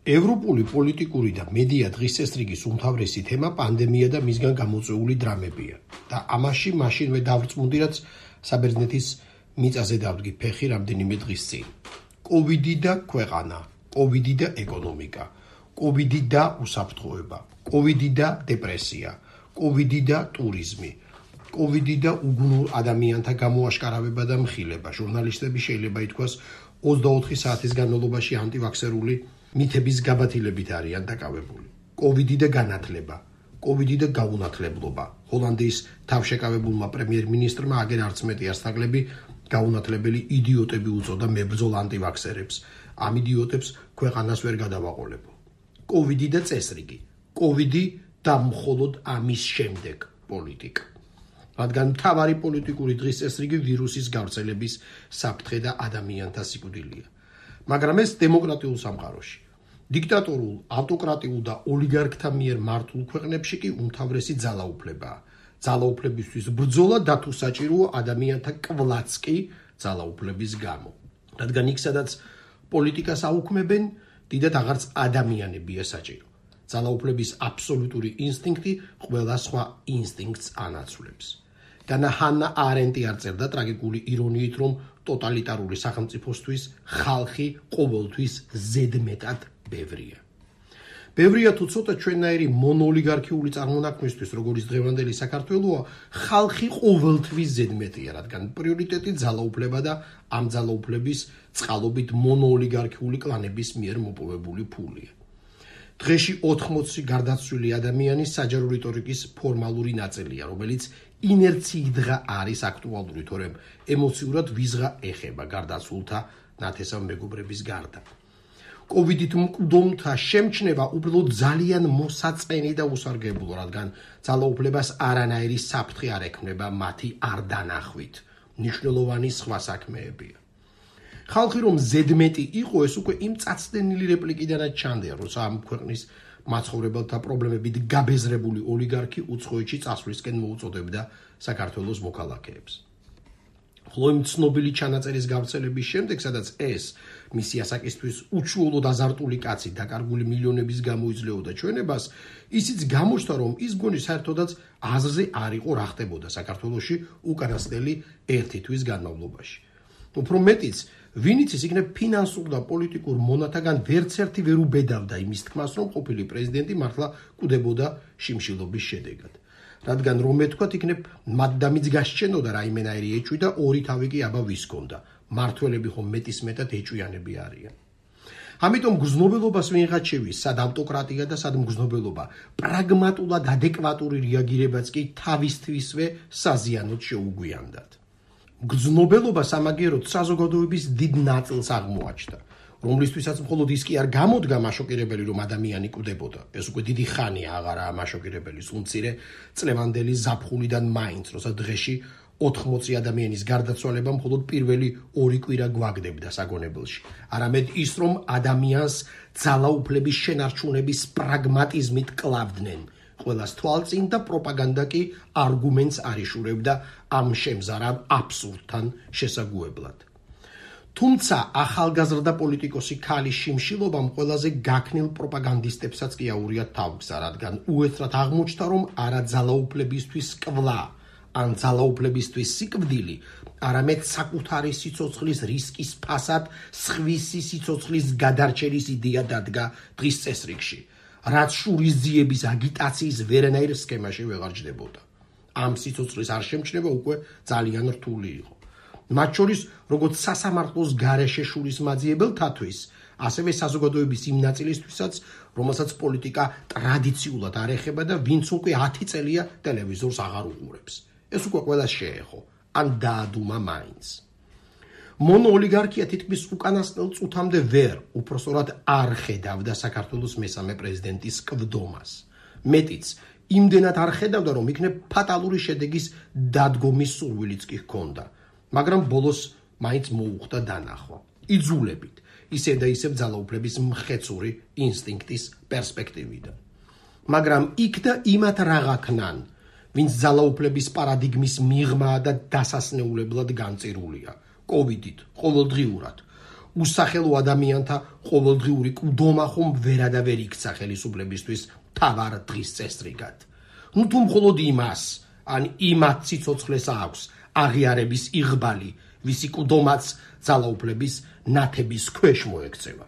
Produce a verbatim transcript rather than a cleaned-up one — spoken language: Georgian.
ევროპული პოლიტიკური და მედია დღის წესრიგის უმთავრესი თემა პანდემია და მისგან გამოწვეული დრამებია და ამაში მაშინვე დავრწმუნდი, რაც საბერძნეთის მიწაზე დავდგი ფეხი რამდენიმე დღის წინ. კოვიდი და ქვეყანა, კოვიდი და ეკონომიკა, კოვიდი და უსაფრთხოება, კოვიდი და დეპრესია, კოვიდი და ტურიზმი, კოვიდი და უგუნურ ადამიანთა გამოაშკარავება და მხილება. ჟურნალისტები შეიძლება ითქვას ოცდაოთხი საათის განმავლობაში ანტივაქსერული მითების გაბათილებით არიან დაკავებული. კოვიდი და განათლება, კოვიდი და გაუნათლებლობა. ჰოლანდიის თავშეკავებულმა პრემიერ-მინისტრმა აგერ არც მეტი ასთაღლები გაუნათლებელი იდიოტები უწოდა მებრძოლ ანტივაქსერებს. ამ იდიოტებს ქვეყანას ვერ გადავაყოლებო. კოვიდი და წესრიგი, კოვიდი და მხოლოდ ამის შემდეგ პოლიტიკა. რადგან მთავარი პოლიტიკური დღის წესრიგი ვირუსის გავრცელების საფრთხე და ადამიანთა სიკვდილია. მაგრამ ეს დემოკრატიულ სამყაროში, დიქტატორულ, ავტოკრატიულ და ოლიგარქთა მიერ მართულ ქვეყნებში კი უმთავრესი ძალაუფლებაა. ძალაუფლებისთვის ბრძოლა და თუ საჭიროა ადამიანთა კვლაც კი ძალაუფლების გამო. რადგან იქ სადაც პოლიტიკას აუქმებენ, დიდად აღარც ადამიანებია საჭირო. ძალაუფლების აბსოლუტური ინსტინქტი ყველა სხვა ინსტინქტს ანაცვლებს. განა ჰანა არენტი არ წერდა ტრაგიკული ირონიით, რომ ტოტალიტარული სახელმწიფოსთვის ხალხი ყოველთვის ზედმეტად ბევრია. ბევრია თუ ცოტა ჩვენნაირი მონოოლიგარქიული წარმონაქმნისთვის, როგორც დღევანდელი საქართველოა, ხალხი ყოველთვის ზედმეტია, რადგან პრიორიტეტი ძალაუფლება და ამ ძალაუფლების წყალობით მონოოლიგარქიული კლანების მიერ მოპოვებული ფულია. დღეში ოთხმოცი გარდაცვლილი ადამიანი საჯარო რიტორიკის ფორმალური ნაწილია, რომელიც ინერციიდღა არის აქტუალური, თორემ ემოციურად ვიზღა ეხება გარდაცვლილთა ნათესავ მეგობრების გარდა. კოვიდით მკვდომთა შემჩნევა უბრალოდ ძალიან მოსაწყენი და უსარგებლო, რადგან ძალაუფლებას არანაირი საფრთხე არ ექმნება მათი არ დანახვით. მნიშვნელოვანი სხვა საქმეებია. ხალხი რომ ზედმეტი იყო, ეს უკვე იმ წაცდენილი რეპლიკიდანაც ჩანდია, როცა ამ ქვეყნის მაცხოვრებელთა პრობლემებით გაბეზრებული ოლიგარქი უცხოეთში წასვლისკენ მოუწოდებდა საქართველოს მოქალაქეებს. ხოლო იმ ცნობილი ჩანაწერის გავრცელების შემდეგ, სადაც ეს მისი ასაკისთვის უჩვეულოდ აზარტული კაცი დაკარგული მილიონების გამო იძლეოდა ჩვენებას, ისიც გამოჩნდა, რომ ის მგონი საერთოდაც აზრზე არ იყო რა ხდებოდა საქართველოში უკანასკნელი ერთი თვის განმავლობაში. უფრო მეტიც, ვინც ის იქნებ ფინანსურ და პოლიტიკურ მონათაგან ვერცერთი ვერ უბედავდა იმის თქმას, რომ ყოფილი პრეზიდენტი მართლა კვდებოდა შიმშილობის შედეგად. რადგან რომ ეთქვათ, იქნებ მადდამიც გასჩენოდა რაიმენაირი ეჭვი და ორი თავი კი აბა ვის ჰქონდა. მართველები ხომ მეტისმეტად ეჭვიანები არიან. ამიტომ გრძნობელობას ვინღაც შევის, სად ავტოკრატია და სად მგრძნობელობა, პრაგმატულად ადეკვატური რეაგირებაც კი თავისთვისვე საზიანოდ შეუგვიანდათ. გრძნობელობა სამაგიეროდ საზოგადოების დიდ ნაწილს აღმოაჩნდა, რომლისთვისაც მხოლოდ ის კი არ გამოდგა მაშოკირებელი, რომ ადამიანი კვდებოდა. ეს უკვე დიდი ხანია აღარაა მაშოკირებელი, სულ მცირე წლევანდელი ზაფხულიდან მაინც, როცა დღეში ოთხმოცი ადამიანის გარდაცვალება მხოლოდ პირველი ორი კვირა გვაგდებდა საგონებელში. არამედ ის, რომ ადამიანს ძალაუფლების შენარჩუნების პრაგმატიზმით კლავდნენ. ყველას თვალწინ და პროპაგანდა კი არგუმენტს არ იშურებდა ამ შემზარავ აბსურდთან შესაგუებლად. თუმცა ახალგაზრდა პოლიტიკოსი ქალის შიმშილობამ ყველაზე გაქნილ პროპაგანდისტებსაც კი აურიათ თავგზა, რადგან უეცრად აღმოჩნდა, რომ არა ძალაუფლებისთვის კვლა ან ძალაუფლებისთვის სიკვდილი, არამედ საკუთარი სიცოცხლის რისკის ფასად სხვისი სიცოცხლის გადარჩენის იდეა დადგა დღის წესრიგში, რაც შურისძიების აგიტაციის ვერანაირ სქემაში ვეღარ ჯდებოდა. ამ სიცოცხლის არ შემჩნევა უკვე ძალიან რთული იყო. მათ შორის, როგორც სასამართლოს გარეშე შურისმაძიებელთათვის, ასევე საზოგადოების იმ ნაწილისთვისაც, რომელსაც პოლიტიკა ტრადიციულად არ ეხება და ვინც უკვე ათი წელია ტელევიზორს აღარ უყურებს. ეს უკვე ყველას შეეხო, ან დაადუმა მაინც. მონოოლიგარქია თითქმის უკანასკნელ წუთამდე ვერ, უпроსტად არ ხედავდა საქართველოს მესამე პრეზიდენტის კვდომას. მეტიც, იმდენად არ ხედავდა, რომ იქნებ ფატალური შედეგის დადგომის სურვილიც კი ჰქონდა, მაგრამ ბოლოს მაინც მოუხდა დანახვა. იძულებით, ისევ და ისევ ძალაუფლების მხეცური ინსტინქტის პერსპექტივიდან. მაგრამ იქ და იმათ რაღა ქნან, ვინც ძალაუფლების პარადიგმის მიღმა და დასასნეულებლად განწირულია. კოვიდით, ყოველდღიურად, უსახელო ადამიანთა ყოველდღიური მკვდომა ხომ ვერა და ვერ იქცა ხელისუფლებისთვის მთავარ დღის წესრიგად. ნუ თუ მხოლოდ იმას, ან იმათ სიცოცხლეს აქვს აღიარების იღბალი, ვისი მკვდომაც ძალაუფლების ნათების ქვეშ მოექცევა.